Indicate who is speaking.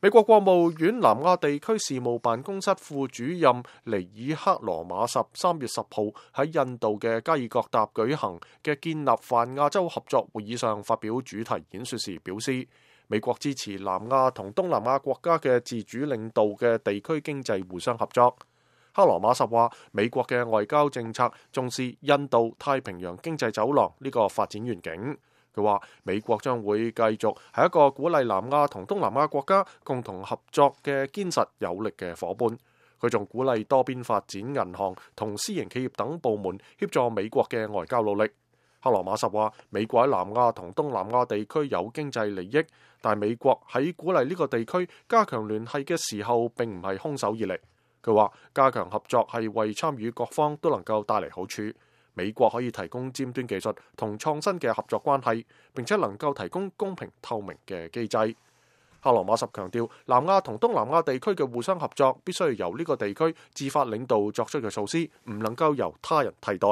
Speaker 1: 美國國務院南亞地區事務辦公室副主任尼爾克羅馬什3月10號喺印度嘅加爾各答舉行嘅建立泛亞洲合作會議上發表主題演說時表示，美國支持南亞同東南亞國家嘅自主領導嘅地區經濟互相合作。克羅馬什話，美國嘅外交政策重視印度太平洋經濟走廊呢個發展願景。佢話美國將會繼續係一個鼓勵南亞同東南亞國家共同合作嘅堅實有力嘅夥伴。佢仲鼓勵多邊發展銀行同私營企業等部門協助美國嘅外交努力。克羅馬什話，美國喺南亞同東南亞地區有經濟利益，但美國喺鼓勵呢個地區加強聯繫嘅時候並唔係空手而嚟。佢話加強合作係為參與各方都能夠帶嚟好處。美國可以提供尖端技術同創新嘅合作關係，並且能夠提供公平透明嘅機制。克羅馬什強調，南亞同東南亞地區嘅互相合作必須由呢個地區自發領導作出嘅措施，唔能夠由他人替代。